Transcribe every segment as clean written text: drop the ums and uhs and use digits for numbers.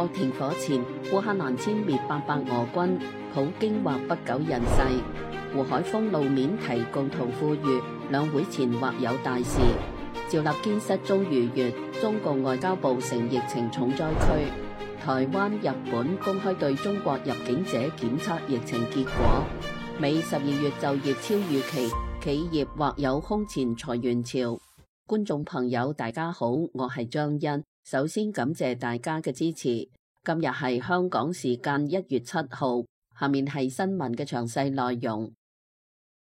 停火前，烏克蘭殲滅800俄軍，普京或不久人世。胡海峰露面提共同富裕，兩會前或有大事。趙立堅失蹤逾月，中共外交部成疫情重災區。台灣、日本公開對中國入境者檢測疫情結果。美12月就業超預期，企業或有空前裁員潮。觀眾朋友大家好，我係張欣，首先感謝大家嘅支持。今日係香港時間1月7號，下面係新聞嘅詳細內容。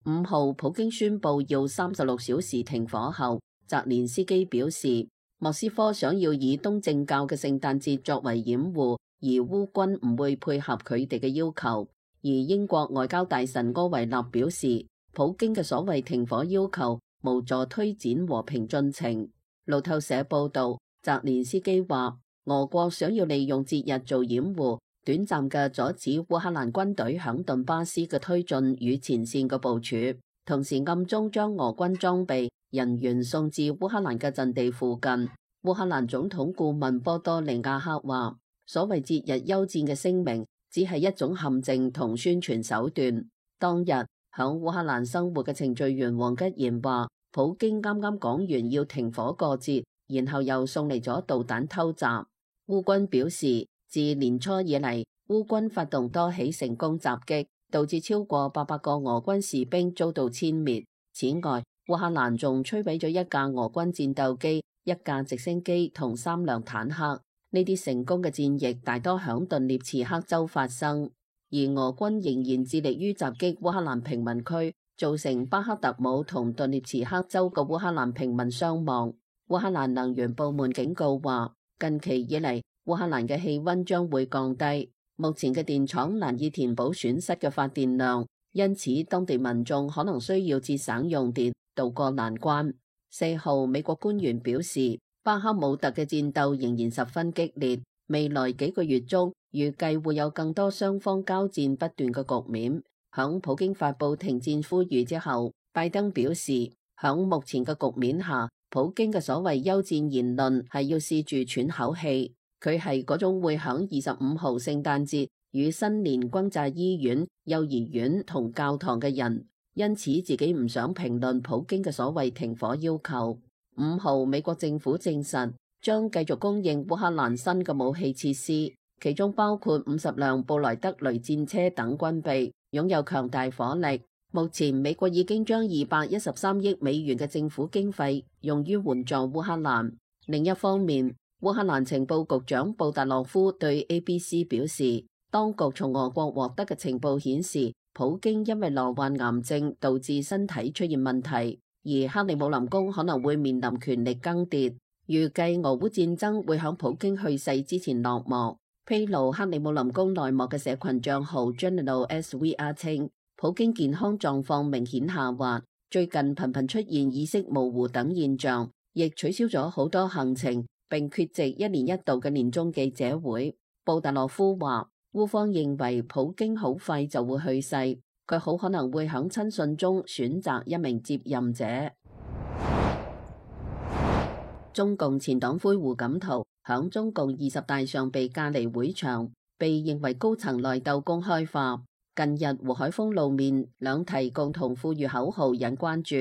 5號普京宣布要36小時停火後，澤連斯基表示，莫斯科想要以東正教嘅聖誕節作為掩護，而烏軍唔會配合佢哋嘅要求。而英國外交大臣柯維納表示，普京嘅所謂停火要求無助推展和平進程。路透社報道，澤連斯基話，俄國想要利用節日做掩護，短暫嘅阻止烏克蘭軍隊響頓巴斯嘅推進與前線嘅部署，同時暗中將俄軍裝備人員送至烏克蘭嘅陣地附近。烏克蘭總統顧問波多利亞克話，所謂節日休戰嘅聲明只係一種陷阱同宣傳手段。當日響烏克蘭生活嘅程序員黃吉賢話，普京啱啱講完要停火過節，然後又送嚟咗導彈偷襲。烏軍表示，自年初以嚟，烏軍發動多起成功襲擊，導致超過800個俄軍士兵遭到殲滅。此外，烏克蘭仲摧毀咗1架俄軍戰鬥機、1架直升機同3輛坦克。呢啲成功嘅戰役大多響頓涅茨克州發生，而俄軍仍然致力於襲擊烏克蘭平民區，造成巴克特姆同頓涅茨克州嘅烏克蘭平民傷亡。烏克蘭能源部門警告話，近期以嚟，烏克蘭嘅氣溫將會降低，目前嘅電廠難以填補損失嘅發電量，因此當地民眾可能需要節省用電，渡過難關。4號，美國官員表示，巴克姆特嘅戰鬥仍然十分激烈，未來幾個月中預計會有更多雙方交戰不斷嘅局面。響普京發布停戰呼籲之後，拜登表示，響目前嘅局面下，普京嘅所謂休戰言論係要試住喘口氣。佢係嗰種會響25號聖誕節與新年轟炸醫院、幼兒園同教堂嘅人，因此自己唔想評論普京嘅所謂停火要求。5號，美國政府證實將繼續供應烏克蘭新嘅武器設施，其中包括50輛布萊德雷戰車等軍備，擁有強大火力。目前美國已經將213億美元嘅政府經費用於援助烏克蘭。另一方面，烏克蘭情報局長布達洛夫對 ABC 表示，當局從俄國獲得嘅情報顯示，普京因為罹患癌症導致身體出現問題，而克里姆林宮可能會面臨權力更迭。預計俄烏戰爭會喺普京去世之前落幕。披露克里姆林宮內幕嘅社群賬號 General SVR 稱，普京健康狀況明顯下滑，最近頻頻出現意識模糊等現象，亦取消咗好多行程，並缺席1年1度嘅年終記者會。布達洛夫話，烏方認為普京好快就會去世，佢好可能會喺親信中選擇一名接任者。中共前黨魁胡錦濤響中共20大上被架離會場，被認為高層內鬥公開化。近日胡海峰露面兩提共同富裕口號引關注，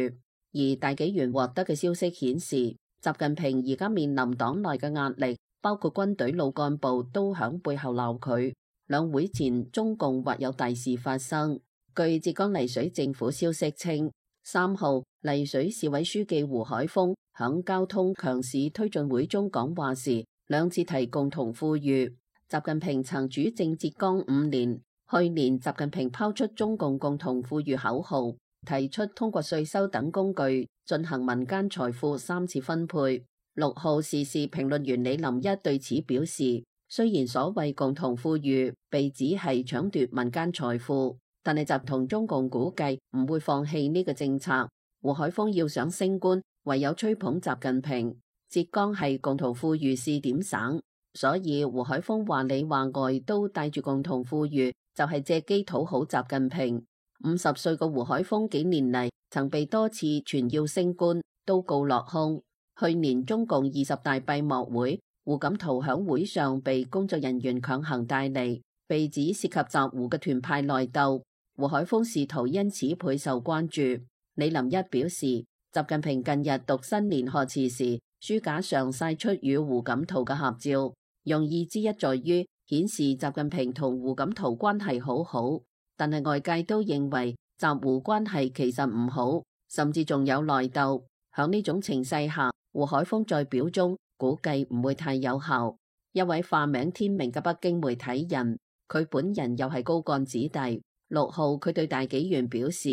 而大紀元獲得嘅消息顯示，習近平而家面臨黨內嘅壓力，包括軍隊老幹部都響背後鬧佢。兩會前中共或有大事發生。據浙江麗水政府消息稱，3號麗水市委書記胡海峰響交通強市推進會中講話時兩次提共同富裕。習近平曾主政浙江5年，去年習近平拋出中共共同富裕口號，提出通過稅收等工具進行民間財富3次分配。6號時事評論員李林一對此表示，雖然所謂共同富裕被指係搶奪民間財富，但係習同中共估計唔會放棄呢個政策。胡海峰要想升官，唯有吹捧習近平。浙江係共同富裕試點省，所以胡海峰話裏話外都帶住共同富裕，就係借機討好習近平。50歲嘅胡海峰幾年嚟曾被多次傳要升官，都告落空。去年中共20大閉幕會，胡錦濤響會上被工作人員強行帶離，被指涉及習胡嘅團派內鬥，胡海峰仕途因此倍受關注。李林一表示，習近平近日讀新年賀詞時，書架上曬出與胡錦濤嘅合照，用意之一在於顯示習近平同胡錦濤關係好好，但係外界都認為習胡關係其實唔好，甚至仲有內鬥。響呢種情勢下，胡海峰在表中估計唔會太有效。一位化名天明嘅北京媒體人，佢本人又係高幹子弟。6號佢對大紀元表示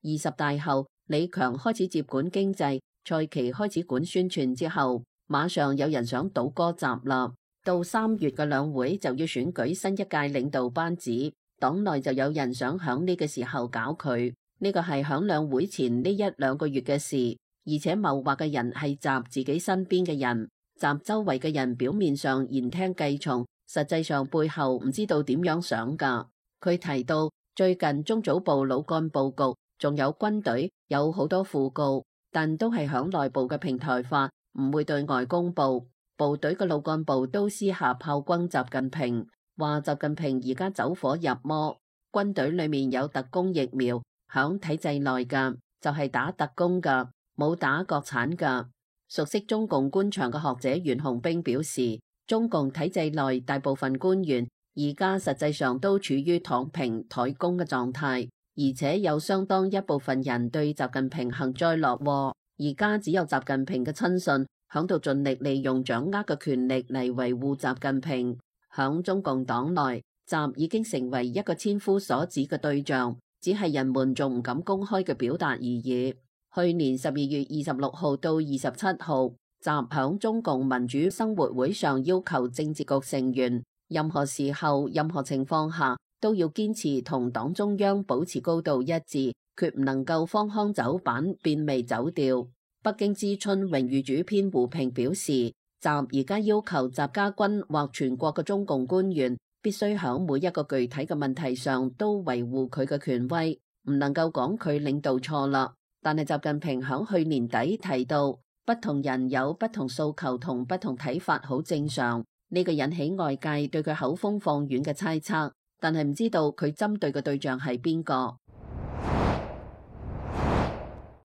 ，20大後李強開始接管經濟，蔡奇開始管宣傳之後，馬上有人想倒戈習啦。到3月嘅兩會就要選舉新一屆領導班子，黨內就有人想響呢個時候搞佢。呢個係響兩會前呢1-2個月嘅事，而且謀劃嘅人係習自己身邊嘅人，習周圍嘅人表面上言聽計從，實際上背後唔知道點樣想噶。佢提到最近中組部老幹部局仲有軍隊有好多訃告，但都係響內部嘅平台化，唔會對外公布。部隊嘅老幹部都私下炮轟習近平，話習近平而家走火入魔。軍隊裏面有特工疫苗，響體制內噶就係打特工噶，冇打國產噶。熟悉中共官場嘅學者袁洪兵表示，中共體制內大部分官員而家實際上都處於躺平怠工嘅狀態，而且有相當一部分人對習近平幸災樂禍。而家只有習近平嘅親信響度盡力利用掌握嘅權力嚟維護習近平。響中共黨內，習已經成為一個千夫所指嘅對象，只係人們仲唔敢公開嘅表達而已。去年12月26號到27號，習響中共民主生活會上要求政治局成員任何時候、任何情況下都要堅持同黨中央保持高度一致，決唔能夠荒腔走板、變味走調。北京之春榮譽主編胡平表示，習而家要求習家軍或全國嘅中共官員必須響每一個具體嘅問題上都維護佢嘅權威，唔能夠講佢領導錯啦。但係習近平響去年底提到，不同人有不同訴求同不同睇法，好正常。呢個引起外界對佢口風放軟嘅猜測，但係唔知道佢針對嘅對象係邊個。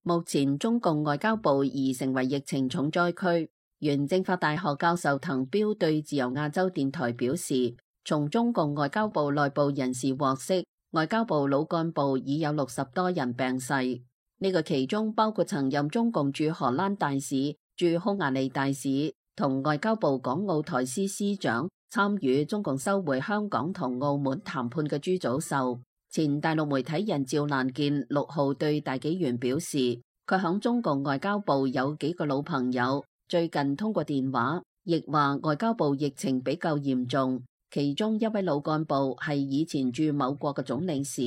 目前中共外交部已成為疫情重災區。原政法大學教授滕彪對自由亞洲電台表示，從中共外交部內部人士獲悉，外交部老幹部已有60多人病逝。呢個其中包括曾任中共駐荷蘭大使、駐匈牙利大使同外交部港澳台司司長，參與中共收回香港同澳門談判嘅朱祖秀。前大陸媒體人趙蘭健6號對大紀元表示，佢響中共外交部有幾個老朋友，最近通過電話，亦話外交部疫情比較嚴重。其中一位老幹部係以前駐某國嘅總領事，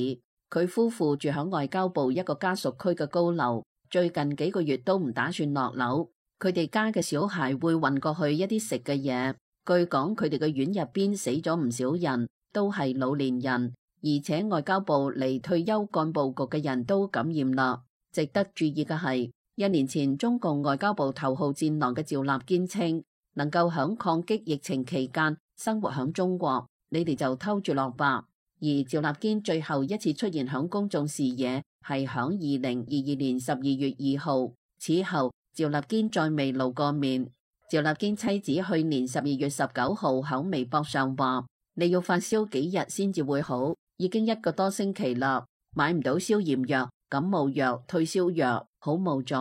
佢夫婦住響外交部一個家屬區嘅高樓，最近幾個月都唔打算落樓。佢哋家嘅小孩會運過去一啲食嘅嘢。據講，佢哋嘅院入邊死咗唔少人，都係老年人。而且外交部離退休幹部局嘅人都感染啦。值得注意嘅係，1年前中共外交部頭號戰狼嘅趙立堅稱，能夠響抗擊疫情期間生活響中國，你哋就偷住落吧。而趙立堅最後一次出現響公眾視野係響2022年12月2號，此後趙立堅再未露過面。趙立堅妻子去年12月19號響微博上話，你要發燒幾日先至會好，已經1個多星期啦，買唔到消炎藥、感冒藥、退燒藥，好無助。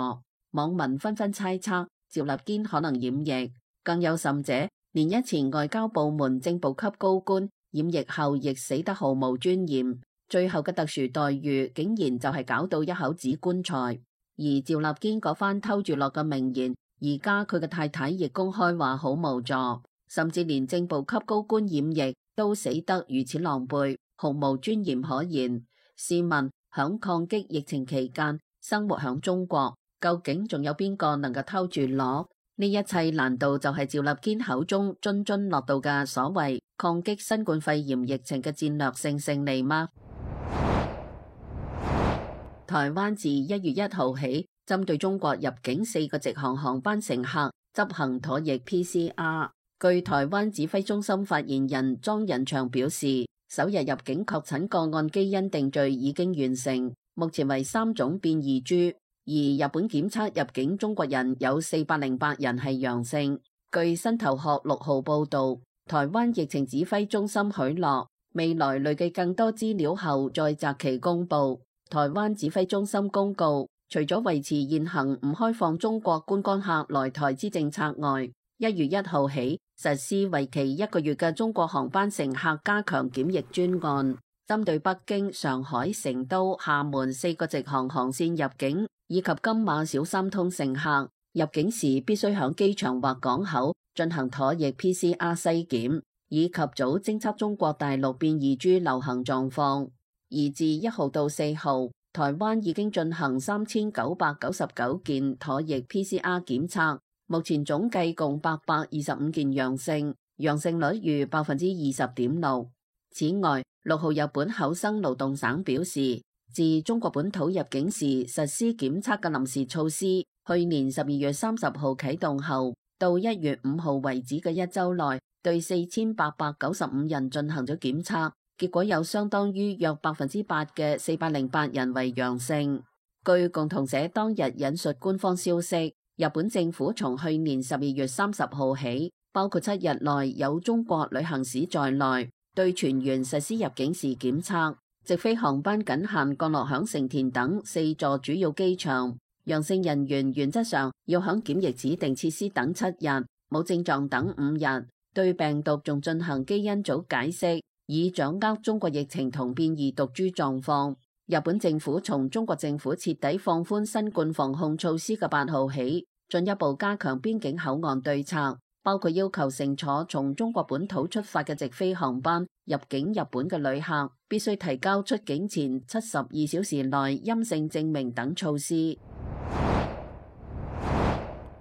網民紛紛猜測趙立堅可能染疫，更有甚者，連日前外交部門正部級高官染疫後亦死得毫無尊嚴，最後嘅特殊待遇竟然就係搞到一口紙棺材。而趙立堅嗰番偷住落嘅名言，而家佢嘅太太亦公開話好無助，甚至連正部級高官染疫都死得如此狼狽，毫無尊嚴可言。試問響抗擊疫情期間生活響中國，究竟仲有邊個能夠偷住樂？呢一切難道就係趙立堅口中津津樂道嘅所謂抗擊新冠肺炎疫情嘅戰略性勝利嗎？台灣自1月1號起，針對中國入境4個直航航班乘客執行唾液 PCR。據台灣指揮中心發言人莊人祥表示，首日入境確診個案基因定序已經完成，目前為3種變異株，而日本檢測入境中國人有408人係陽性。據新頭殼6號報導，台灣疫情指揮中心許諾未來累計更多資料後再擇期公佈。台灣指揮中心公告，除咗維持現行唔開放中國觀光客來台之政策外，1月1號起實施為期1個月嘅中國航班乘客加強檢疫專案，針對北京、上海、成都、廈門4個直航航線入境以及金馬小三通乘客入境時必須響機場或港口進行唾液 PCR 篩檢，以及早偵測中國大陸變異株流行狀況。而自1號到4號，台灣已經進行3999件唾液 PCR 檢測，目前總計共825件陽性，陽性率逾20.6%。此外，6號日本厚生勞動省表示，自中國本土入境時實施檢測嘅臨時措施，去年12月30號啟動後，到1月5號為止嘅1週內，對4895人進行咗檢測，結果有相當於約8%嘅408人為陽性。據共同社當日引述官方消息，日本政府從去年12月30號起，包括7日內有中國旅行史在內，對全員實施入境時檢測，直飛航班僅限降落響成田等4座主要機場。陽性人員原則上要響檢疫指定設施等7日，冇症狀等5日，對病毒仲進行基因組解析，以掌握中國疫情同變異毒株狀況。日本政府從中國政府徹底放寬新冠防控措施嘅8號起，進一步加強邊境口岸對策，包括要求乘坐從中國本土出發嘅直飛航班入境日本嘅旅客必須提交出境前72小時內陰性證明等措施。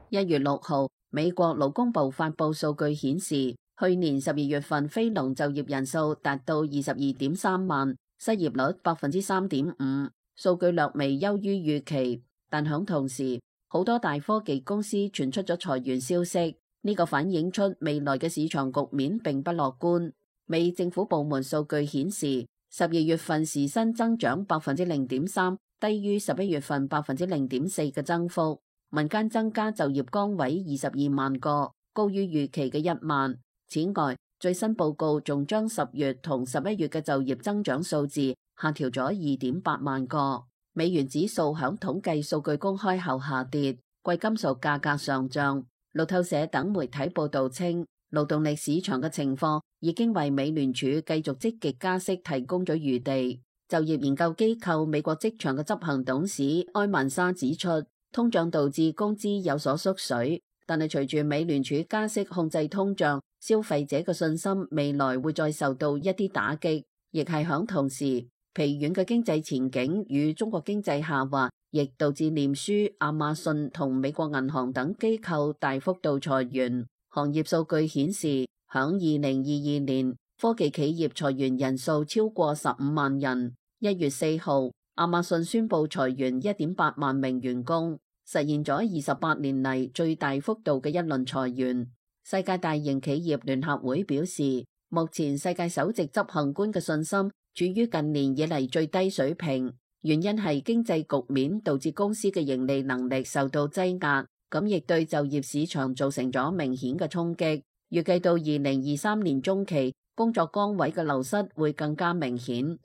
1月6號，美國勞工部發布數據顯示，去年12月份非農就業人數達到22.3萬，失業率3.5%，數據略微優於預期。但響同時，好多大科技公司傳出咗裁員消息，呢個反映出未來嘅市場局面並不樂觀。美政府部門數據顯示，12月份時薪增長0.3%，低於11月份0.4%嘅增幅。民間增加就業崗位22萬個，高於預期嘅1萬。此外，最新報告仲將10月同11月嘅就業增長數字下調咗2.8萬個。美元指數響統計數據公開後下跌，貴金屬價格上漲。路透社等媒體報道稱，勞動力市場嘅情況已經為美聯儲繼續積極加息提供咗餘地。就業研究機構美國職場嘅執行董事埃曼莎指出，通脹導致工資有所縮水，但係隨住美聯儲加息控制通脹，消費者嘅信心未來會再受到一啲打擊，亦係響同時，疲軟嘅經濟前景與中國經濟下滑，亦導致臉書、亞馬遜同美國銀行等機構大幅度裁員。行業數據顯示，響2022年，科技企業裁員人數超過15萬人。1月4號，亞馬遜宣布裁員1.8萬名員工，實現咗28年嚟最大幅度嘅一輪裁員。世界大型企業聯合會表示，目前世界首席執行官嘅信心處於近年以嚟最低水平，原因係經濟局面導致公司嘅盈利能力受到擠壓，咁亦對就業市場造成咗明顯嘅衝擊。預計到2023年中期，工作崗位嘅流失會更加明顯。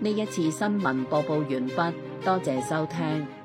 呢一次新聞播報完畢，多謝收聽。